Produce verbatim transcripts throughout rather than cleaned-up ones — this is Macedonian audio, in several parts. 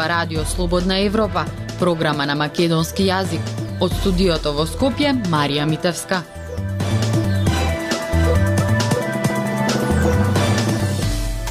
ова Радио Слободна Европа, програма на македонски јазик. Од студиото во Скопје, Марија Митевска.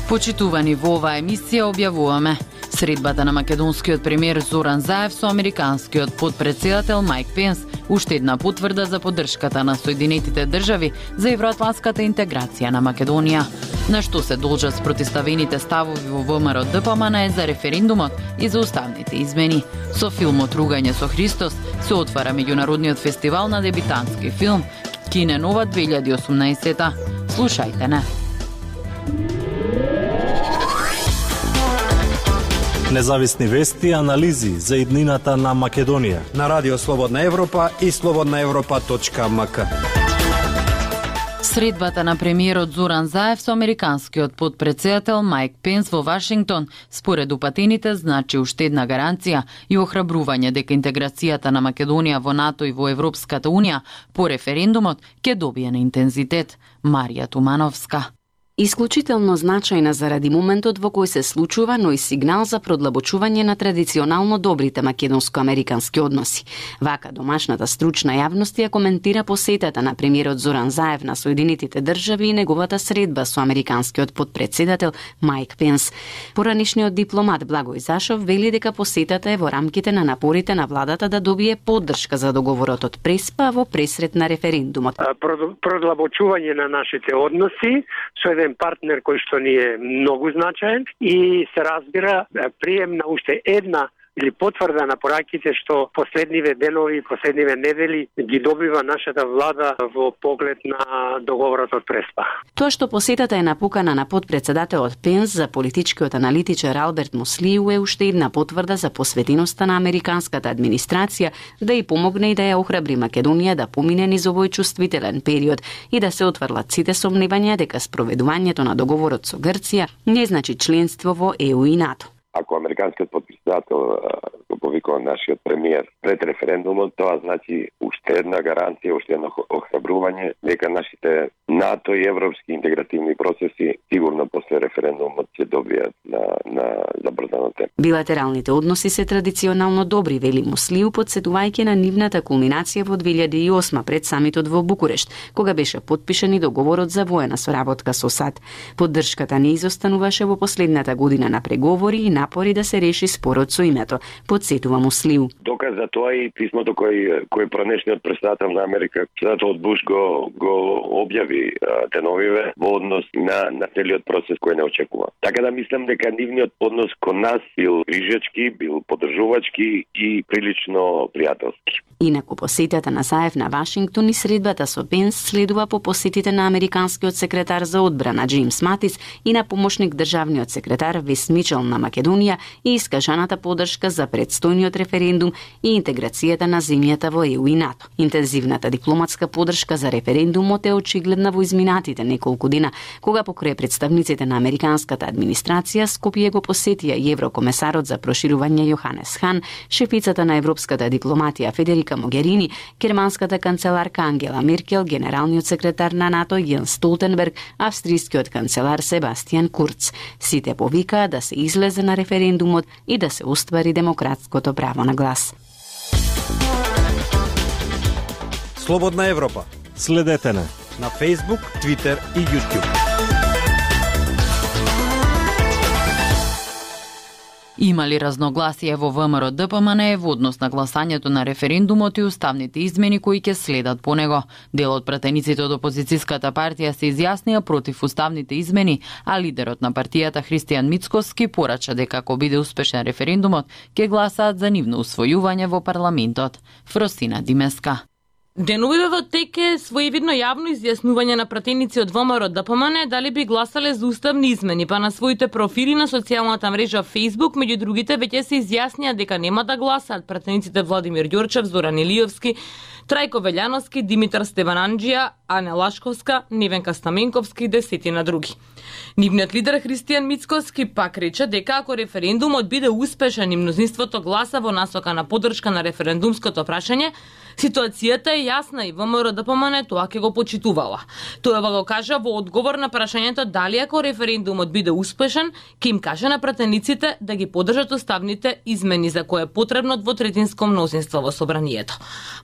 Почитувани, во оваа емисија објавуваме средбата на македонскиот премиер Зоран Заев со американскиот подпредседател Майк Пенс, уште една потврда за поддршката на Соединетите држави за евроатлантската интеграција на Македонија. На што се должат спротиставените ставови во ВМРО-ДПМН за референдумот и за уставните измени. Со филмот Ругање со Христос се отвара меѓународниот фестивал на дебитантски филм Кине Нова две илјади и осумнаесета. Слушајте не. Независни вести и анализи за иднината на Македонија на Радио Слободна Европа и слободна европа точка ем ка. Средбата на премиерот Зоран Заев со американскиот подпредседател Майк Пенс во Вашингтон, според упатените, значи уште една гаранција и охрабрување дека интеграцијата на Македонија во НАТО и во Европската Унија по референдумот ќе добие на интензитет. Марија Тумановска. Исклучително значајна заради моментот во кој се случува, но и сигнал за продлабочување на традиционално добрите македонско-американски односи. Вака домашната стручна јавност ја коментира посетата на премиерот Зоран Заев на Соединетите држави и неговата средба со американскиот подпредседател Майк Пенс. Поранишниот дипломат Благој Зашов вели дека посетата е во рамките на напорите на владата да добие поддршка за договорот од Преспа во пресрет на референдумот. Продлабочување на нашите односи со еден партнер кој што ни е многу значаен и се разбира прием на уште една или потврда на пораките што последниве денови, последниве недели ги добива нашата влада во поглед на договорот од Преспа. Тоа што посетата е напукана на подпредседателот Пенс за политичкиот аналитичар Алберт Муслиу е уште една потврда за посветеноста на американската администрација да и помогне и да ја охрабри Македонија да помине низ овој чувствителен период и да се отврлат сите сомневања дека спроведувањето на договорот со Грција не значи членство во Е У и НАТО. Ако американскиот подпредседател го повикува нашиот премиер пред референдумот, тоа значи уште една гаранција, уште едно охрабрување дека нашите НАТО и европски интегративни процеси сигурно после референдумот ќе добијат на на забрзано темпо. Билатералните односи се традиционално добри, вели Муслиу, подсетувајќи на нивната кулминација во две илјади и осма пред самитот во Букурешт, кога беше подпишан и договорот за воена соработка со САД. Поддршката не изостануваше во последната година на преговори и напори да се реши спорот со името, подсетува Муслиу. Доказ за тоа и писмото кој кој пранешниот претседател на Америка, претседателот Буш го го објави деновиве во однос на на целиот процес кој не очекува. Така да мислам дека нивниот однос кон нас бил грижачки, бил поддржувачки и прилично пријателски. Инаку посетата на Заев на Вашингтон и средбата со Пенс следува по посетите на американскиот секретар за одбрана Џејмс Матис и на помошник државниот секретар Вес Мичел на Македонија и искажаната поддршка за предстојниот референдум и интеграцијата на земјата во Е У и НАТО. Интензивната дипломатска поддршка за референдумот е очигледна во изминатите неколку дена, кога покрај представниците на американската администрација Скопје го посетија и еврокомесарот за проширување Јоханес Хан, шефицата на европската дипломатија Федерика Могерини, германската канцеларка Ангела Меркел, генералниот секретар на НАТО Јенс Столтенберг, австријскиот канцелар Себастијан Курц. Сите повикаа да се излезе на референдумот и да се оствари демократското право на глас. Слободна Европа. Следете на на Facebook, Twitter и YouTube. Има ли разногласие во ВМРО-ДПМН во однос на гласањето на референдумот и уставните измени кои ќе следат по него? Дел од пратениците од опозицијската партија се изјаснија против уставните измени, а лидерот на партијата Христијан Мицкоски порача дека ако биде успешен референдумот, ќе гласаат за нивно усвојување во парламентот. Фросина Димеска. Деновиве во тек е своевидно јавно изјаснување на пратеници од ВМРО-ДПМН дали би гласале за уставни измени, па на своите профили на социјалната мрежа Facebook, меѓу другите веќе се изјаснија дека нема да гласаат пратениците Владимир Ѓорчев, Зоран Илиевски, Трајко Велјановски, Димитар Стевананџија, Ане Лашковска, Невенка Стаменковски и десетина други. Нивниот лидер Христијан Мицкоски пак рече дека ако референдумот биде успешен и мнозинството гласа во насока на поддршка на референдумското прашање, ситуацијата е јасна и ВМРО-ДПМН тоа ќе го почитувала. Тоа го кажа во одговор на прашањето дали ако референдумот биде успешен, ќе им каже на пратениците да ги поддржат уставните измени за кое е потребно двотретинско мнозинство во собранието.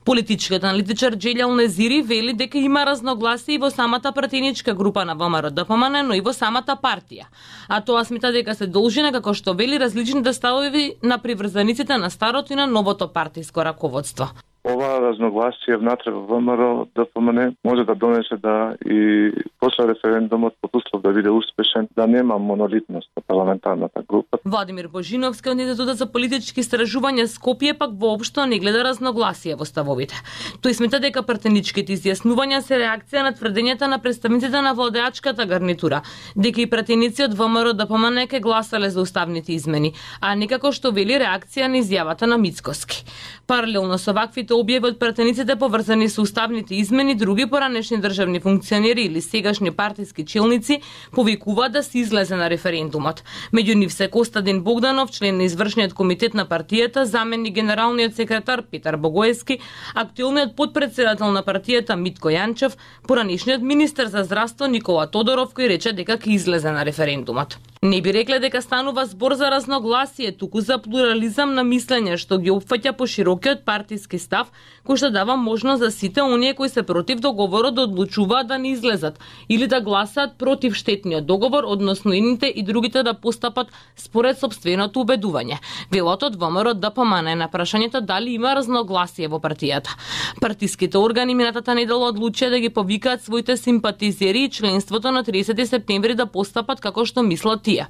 Политичкиот аналитичар Џелјал Незири вели дека има разногласие и во самата пратеничка група на ВМРО-ДПМН, но и во самата партија. А тоа смета дека се должи на, како што вели, различните ставови на приврзаниците на старото и на новото партиско раководство. Ова разногласие внатре во ВМРО-ДПМН може да донесе да и после референдумот под услов да биде успешен, да нема монолитност на парламентарната група. Владимир Божиновски од Институтот за политички истражувања Скопје пак воопшто не гледа разногласие во ставовите. Тој смета дека пратеничките изјаснувања се реакција на тврдењата на представниците на владеачката гарнитура, дека и пратеници од ВМРО-ДПМН ке гласале за уставните измени, а не како што вели реакција на изјавата на Мицкоски. Паралелно со ваквите објави од пратениците поврзани со уставните измени, други поранешни државни функционери или сегашни партиски челници повикуваат да се излезе на референдумот. Меѓу нив се Костадин Богданов, член на извршниот комитет на партијата, заменик генералниот секретар Петар Богоевски, актуелниот потпредседател на партијата Митко Јанчев, поранешниот министер за здравство Никола Тодоров, кој рече дека ќе излезе на референдумот. Не би рекле дека станува збор за разногласие, туку за плурализам на мислење што ги опфаќа поширокиот партиски став, кој што дава можност за сите оние кои се против договорот да одлучуваат да не излезат или да гласаат против штетниот договор, односно едните и другите да постапат според сопственото убедување. Велот од ВМРО-ДПМН на прашањето дали има разногласие во партијата. Партиските органи минатата недела одлучија да ги повикаат своите симпатизери и членството на тридесети септември да постапат како што мислат тие.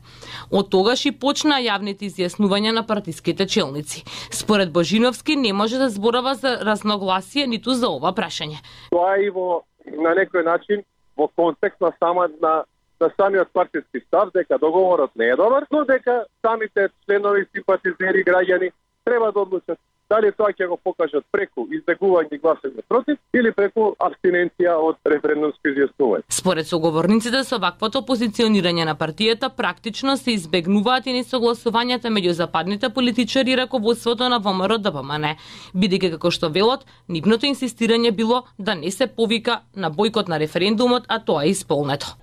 Од тогаш и почна јавните изјаснувања на партиските челници. Според Божиновски не може да зборава за разногласие ниту за ова прашање. Тоа е во на некој начин во контекст на сама на на самиот партиски став дека договорот не е добар, но дека самите членови, симпатизери, граѓани треба да одлучат дали тоа ќе го покажат преку избегување и гласање против или преку абстиненција од референдумско изјаснување. Според соговорниците со ваквото позиционирање на партијата практично се избегнуваат и несогласувањата меѓу западните политичари и раководството на ВМРО-ДПМН, бидејќи како што велат, нивното инсистирање било да не се повика на бојкот на референдумот, а тоа е исполнето.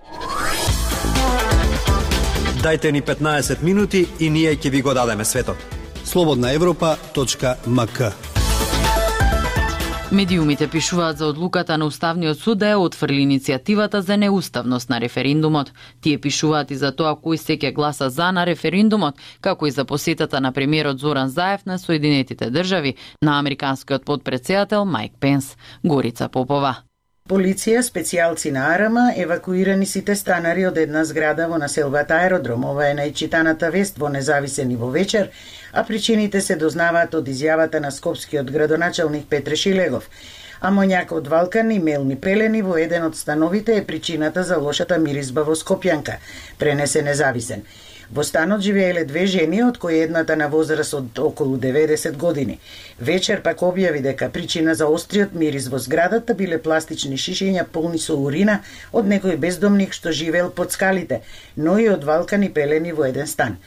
Дајте ни петнаесет минути и ние ќе ви го дадеме светот. слободна европа точка ем ка. Медиумите пишуваат за одлуката на Уставниот суд да ја отфрли иницијативата за неуставност на референдумот. Тие пишуваат и за тоа кој се ќе гласа за на референдумот, како и за посетата на премиерот Зоран Заев на Соединетите држави на американскиот потпредседател Майк Пенс. Горица Попова. Полиција, специјалци на АРМА, евакуирани сите станари од една зграда во населбата Аеродром. Ова е најчитаната вест во Независен и во вечер, а причините се дознаваат од изјавата на скопскиот градоначалник Петре Шилегов. Амоњак од валкан и мелни пелени во еден од становите е причината за лошата миризба во Скопјанка, пренесе Независен. Во станот живееле две жени, од кои едната на возраст од околу деветдесет години. Вечер пак објави дека причина за остриот мирис во зградата биле пластични шишиња полни со урина од некој бездомник што живеел под скалите, но и од валкани пелени во еден стан.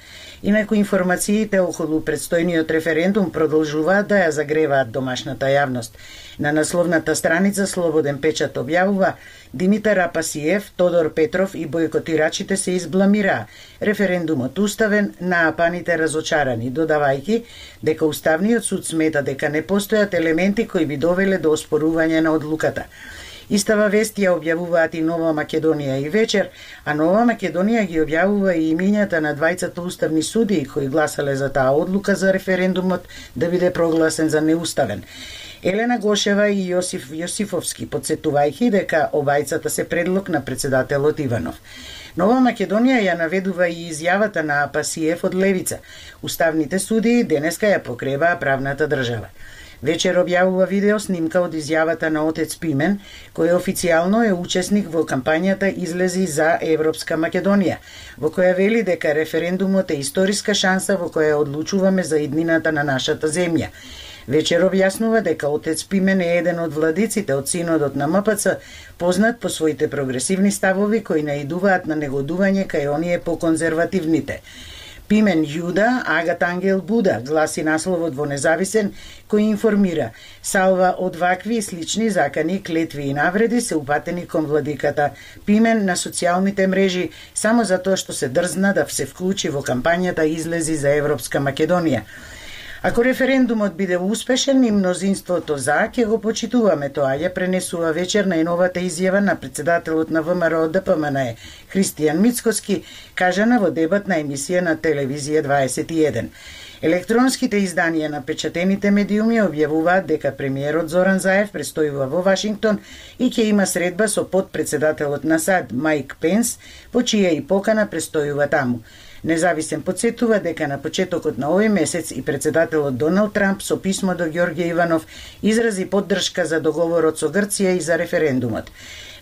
Инаку информациите околу предстојниот референдум продолжуваат да ја загреваат домашната јавност. На насловната страница Слободен печат објавува: Димитар Апасиев, Тодор Петров и бојкотирачите се избламираа. Референдумот уставен, наапаните разочарани, додавајќи дека Уставниот суд смета дека не постојат елементи кои би довеле до оспорување на одлуката. Истава вест ја објавуваат и Нова Македонија и вечер, а Нова Македонија ги објавува и имињата на двајцата уставни судии кои гласале за таа одлука за референдумот да биде прогласен за неуставен. Елена Гошева и Јосиф Јосифовски, подсетувајќи дека обајцата се предлог на председателот Иванов. Нова Македонија ја наведува и изјавата на Апасиев од Левица. Уставните судии денеска ја покребаа правната држава. Вечер објавува видео снимка од изјавата на отец Пимен, кој официјално е учесник во кампањата Излези за Европска Македонија, во која вели дека референдумот е историска шанса во која одлучуваме за иднината на нашата земја. Вечер објаснува дека отец Пимен е еден од владиците од синодот на М П Ц, познат по своите прогресивни ставови кои наидуваат на негодување кај оние по-конзервативните. Пимен Јуда, Агат Ангел Буда, гласи насловот во Независен, кој информира: салва од вакви и слични закани, клетви и навреди се упатени кон владиката Пимен на социјалните мрежи само затоа што се дрзна да се вклучи во кампањата излези за Европска Македонија. Ако референдумот биде успешен и мнозинството за, ќе го почитуваме тоа, ја пренесува вечер најновата изјава на председателот на ВМРО Д П М Н Христијан Мицкоски, кажана во дебатна емисија на телевизија дваесет и еден. Електронските изданија на печатените медиуми објавуваат дека премиерот Зоран Заев престојува во Вашингтон и ќе има средба со подпредседателот на САД Майк Пенс, по чија и покана престојува таму. Независен подсетува дека на почетокот на овој месец и председателот Доналд Трамп со писмо до Ѓорѓе Иванов изрази поддршка за договорот со Грција и за референдумот.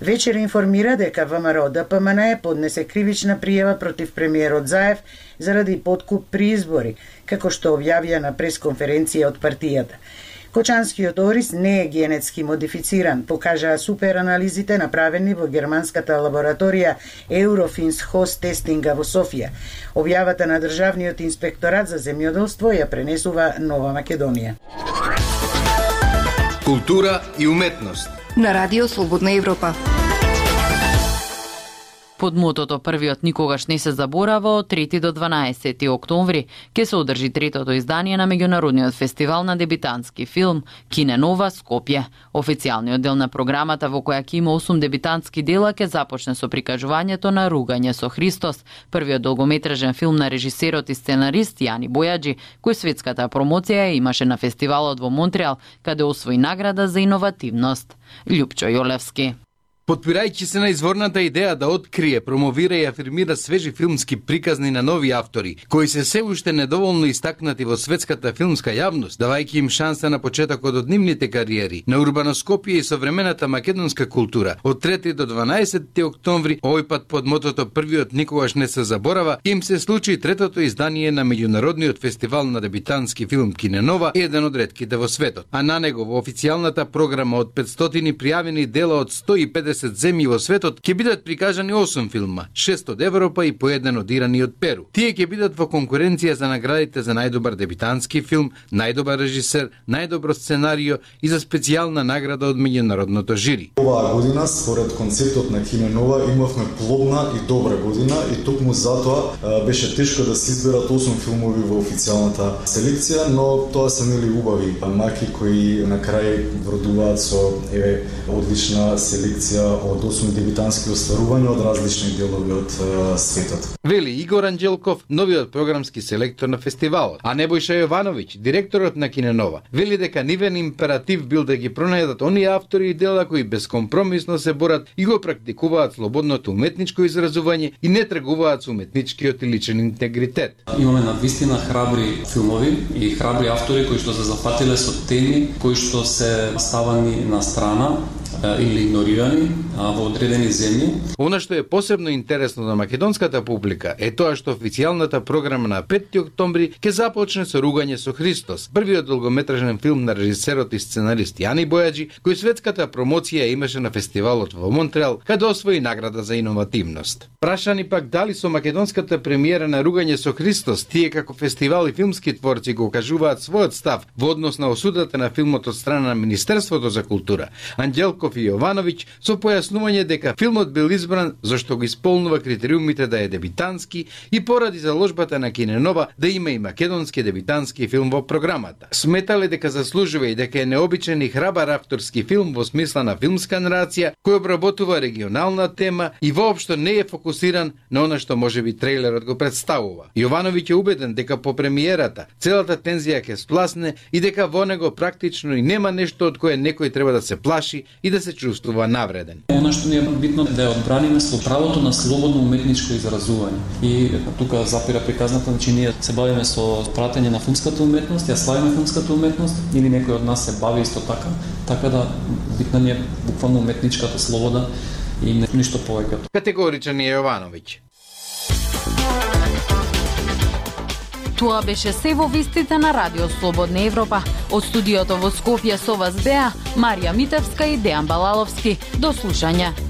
Вечер информира дека ВМРО Д П М Н поднесе кривична пријава против премиерот Заев заради подкуп при избори, како што објавија на пресконференција од партијата. Кочанскиот ориз не е генетски модифициран, покажаа суперанализите направени во германската лабораторија Eurofins Host Тестинга во Софија. Објавата на Државниот инспекторат за земјоделство ја пренесува Нова Македонија. Култура и уметност на Радио Слободна Европа. Под мотото "Првиот никогаш не се заборава" од трети до дванаесети октомври ќе се одржи третото издание на меѓународниот фестивал на дебитантски филм Кине Нова Скопје. Официјалниот дел на програмата, во која ќе има осум дебитантски дела, ќе започне со прикажувањето на Ругање со Христос, првиот долгометражен филм на режисерот и сценарист Јани Бојаджи, кој светската промоција имаше на фестивалот во Монтреал, каде освои награда за иновативност. Љупчо Јолевски. Потпирајќи се на изворната идеја да открие, промовира и афирмира свежи филмски приказни на нови автори, кои се се уште недоволно истакнати во светската филмска јавност, давајќи им шанса на почетокот од нивните кариери, на урбано Скопје и современата македонска култура. Од трети до дванаесети октомври, овој пат под мотото "Првиот никогаш не се заборава", им се случи третото издание на меѓународниот фестивал на дебитантски филм Кине Нова, еден од ретките во светот. А на него во официјалната програма од петстотини пријавени дела од сто и педесет земји во светот ќе бидат прикажани осум филма, шест од Европа и по еден од Иран и од Перу. Тие ќе бидат во конкуренција за наградите за најдобар дебитантски филм, најдобар режисер, најдобро сценарио и за специјална награда од меѓународното жири. Оваа година, според концептот на Кине Нова, имавме плодна и добра година и токму затоа беше тешко да се изберат осум филмови во официјалната селекција, но тоа се нели убави маки кои на крај вродуваат со еве одлична селекција од осум дебитантски остварувања од различни делови од uh, светот. Вели Игор Анđелков, новиот програмски селектор на фестивалот, а Небојша Јовановиќ, директорот на Кине Нова, вели дека нивен императив бил да ги пронајдат оние автори и дела кои безкомпромисно се борат и го практикуваат слободното уметничко изразување и не тргуваат со уметничкиот и личен интегритет. Имаме навистина храбри филмови и храбри автори кои што се зафатиле со теми кои што се ставани на страна или игнорирани во одредени земји. Она што е посебно интересно за македонската публика е тоа што официјалната програма на пети октомври ќе започне со Ругање со Христос, првиот долгометражен филм на режисерот и сценарист Јани Бојаджи, кој светската промоција имаше на фестивалот во Монтреал, каде освои награда за иновативност. Прашани пак дали со македонската премиера на Ругање со Христос, тие како фестивал и филмски творци го кажуваат својот став во однос на осудата на филмот од страна на Министерството за култура, Анđелков и Јовановиќ со појаснување дека филмот бил избран зашто го исполнува критериумите да е дебитантски и поради заложбата на Кине Нова да има и македонски дебитантски филм во програмата. Сметале дека заслужува и дека е необичен и храбар авторски филм во смисла на филмска нарација кој обработува регионална тема и воопшто не е фокусиран на она што можеби трейлерот го представува. Јовановиќ е убеден дека по премиерата целата тензија ќе спласне и дека во него практично и нема нешто од кое некој треба да се плаши и да се чувствува навреден. Она што ни е битно да ја одбраниме со правото на слободно уметничко изразување. И тука запира приказната, значи ние се бавиме со пратење на филмската уметност, ја славиме филмската уметност или некој од нас се бави исто така, така да битна ни е буквално уметничката слобода и ништо повеќе. Категоричен е Јовановиќ. Тоа беше се во вестите на Радио Слободна Европа. Од студиото во Скопје со вас беа Марија Митевска и Дејан Балаловски. До слушање.